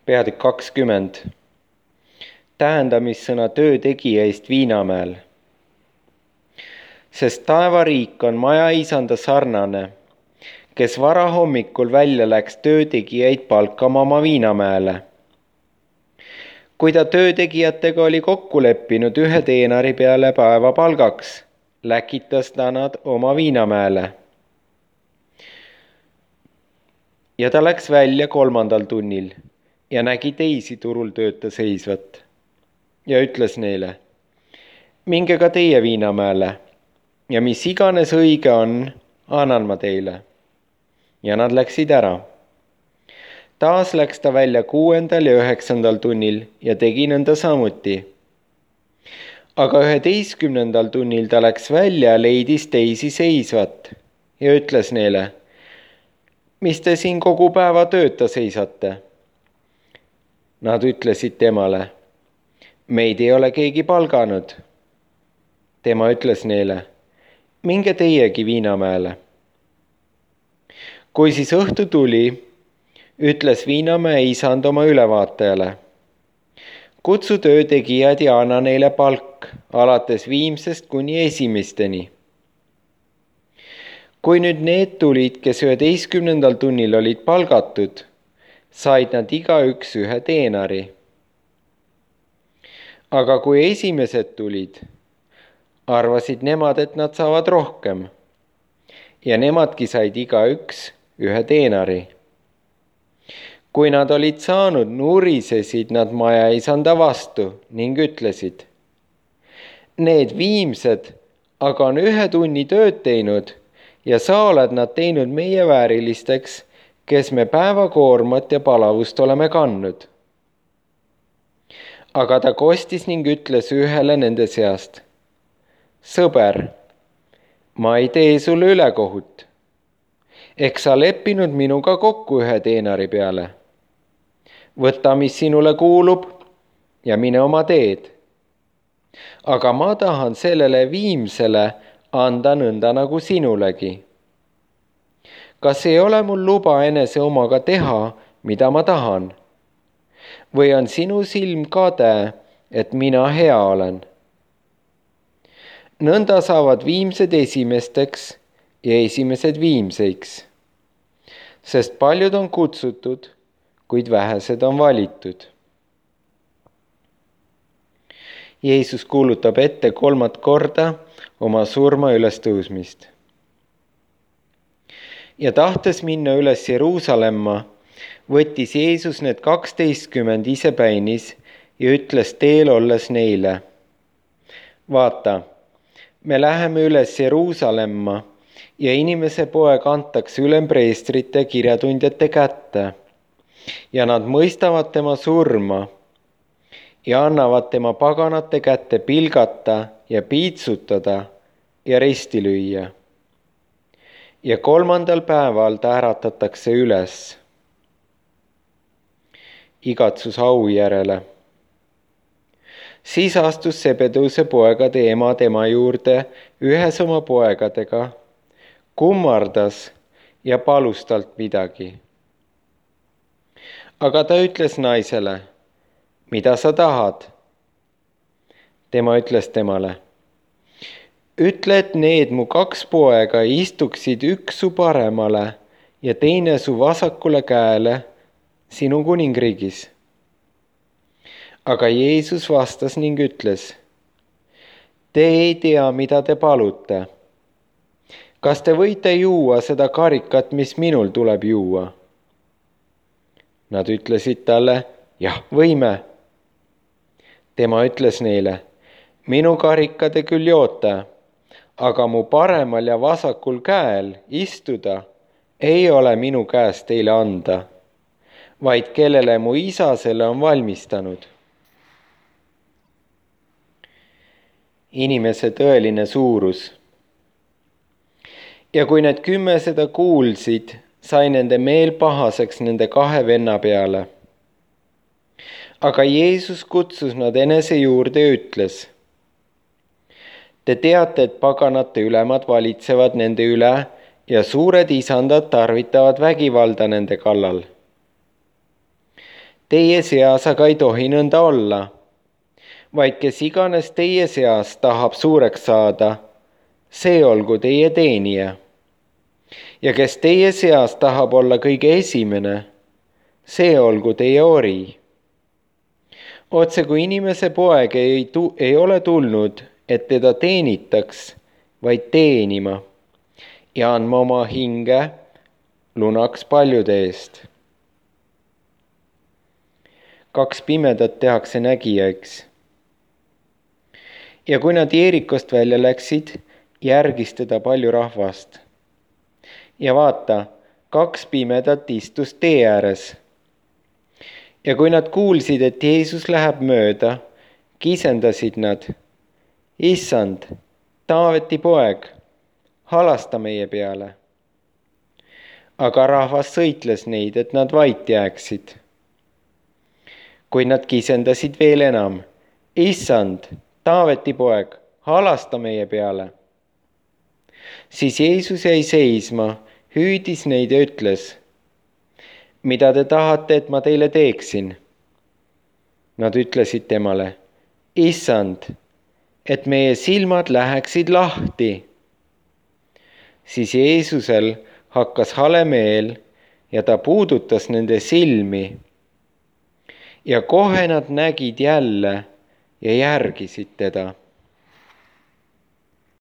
Peatükk 20. Tähendamissõna töötegija eest Viinamäel. Sest taevariik on majaisanda sarnane, kes varahommikul välja läks töötegijaid palkama oma Viinamäele. Kui ta töötegijatega oli kokku leppinud 1 teenari peale päevapalgaks, läkitas ta nad oma Viinamäele. Ja ta läks välja 3. tunnil ja nägi teisi turul tööta seisvat ja ütles neile: minge ka teie Viinamäele ja mis iganes õige on, annan ma teile. Ja nad läksid ära. Taas läks ta välja 6. ja 9. tunnil ja tegi nõnda samuti. Aga 11. tunnil ta läks välja ja leidis teisi seisvat ja ütles neile: mis te siin kogu päeva tööta seisate? Nad ütlesid temale: meid ei ole keegi palganud. Tema ütles neile: minge teiegi Viinamäele. Kui siis õhtu tuli, ütles Viinamäe isand oma ülevaatajale: kutsu töötegijad ja anna neile palk alates viimsest kuni esimesteni. Kui nüüd need tulid, kes 11. tunnil olid palgatud, said nad igaüks 1 teenari. Aga kui esimesed tulid, arvasid nemad, et nad saavad rohkem ja nemadki said igaüks 1 teenari. Kui nad olid saanud, nurisesid nad majaisanda vastu ning ütlesid: need viimsed aga on 1 tunni tööd teinud ja sa oled nad teinud meie väärilisteks, kes me päevakoormat ja palavust oleme kandnud. Aga ta kostis ning ütles ühele nende seast: sõber, ma ei tee sulle ülekohut. Eks sa leppinud minuga kokku 1 teenari peale. Võta, mis sinule kuulub ja mine oma teed. Aga ma tahan sellele viimsele anda nõnda nagu sinulegi. Kas ei ole mul luba enese omaga teha, mida ma tahan? Või on sinu silm kade, et mina hea olen? Nõnda saavad viimsed esimesteks ja esimesed viimseiks. Sest paljud on kutsutud, kuid vähesed on valitud. Jeesus kuulutab ette 3. korda oma surma ülestõusmist. Ja tahtes minna üles Jeruusalemma, võttis Jeesus need 12 isepäinis ja ütles teel olles neile: vaata, me läheme üles Jeruusalemma ja inimese poeg antakse ülempreestrite kirjatundjate kätte ja nad mõistavad tema surma ja annavad tema paganate kätte pilgata ja piitsutada ja risti lüüa. Ja 3. päeval ta äratatakse üles. Igatsus au järele. Siis astus Sebedeuse poegade ema tema juurde ühes oma poegadega, kummardas ja palus talt midagi. Aga ta ütles naisele: mida sa tahad? Tema ütles temale: ütle, et need mu 2 poega istuksid üks su paremale ja teine su vasakule käele sinu kuningriigis. Aga Jeesus vastas ning ütles: te ei tea, mida te palute. Kas te võite juua seda karikat, mis minul tuleb juua? Nad ütlesid talle: jah, võime. Tema ütles neile: minu karika te küll joote, aga mu paremal ja vasakul käel istuda ei ole minu käest teile anda, vaid kellele mu isa selle on valmistanud. Inimese tõeline suurus. Ja kui need 10 seda kuulsid, sai nende meel pahaseks nende 2 venna peale. Aga Jeesus kutsus nad enese juurde ja ütles: te teate, et paganate ülemad valitsevad nende üle ja suured isandad tarvitavad vägivalda nende kallal. teie seas aga ei tohi nõnda olla, vaid kes iganes teie seas tahab suureks saada, see olgu teie teenija. Ja kes teie seas tahab olla kõige esimene, see olgu teie ori. Otse kui inimese poeg ei ole tulnud, et teda teenitaks, vaid teenima ja andma oma hinge lunaks paljude eest. 2 pimedat tehakse nägijaks. Ja kui nad Jeerikost välja läksid, järgis teda palju rahvast. Ja vaata, 2 pimedat istus tee ääres. Ja kui nad kuulsid, et Jeesus läheb mööda, kisendasid nad: Issand, Taaveti poeg, halasta meie peale. Aga rahvas sõitles neid, et nad vait jääksid. Kuid nad kisendasid veel enam: Issand, Taaveti poeg, halasta meie peale. Siis Jeesus jäi seisma, hüüdis neid ja ütles: mida te tahate, et ma teile teeksin? Nad ütlesid temale: Issand, et meie silmad läheksid lahti. Siis Jeesusel hakkas hale meel ja ta puudutas nende silmi. Ja kohe nad nägid jälle ja järgisid teda.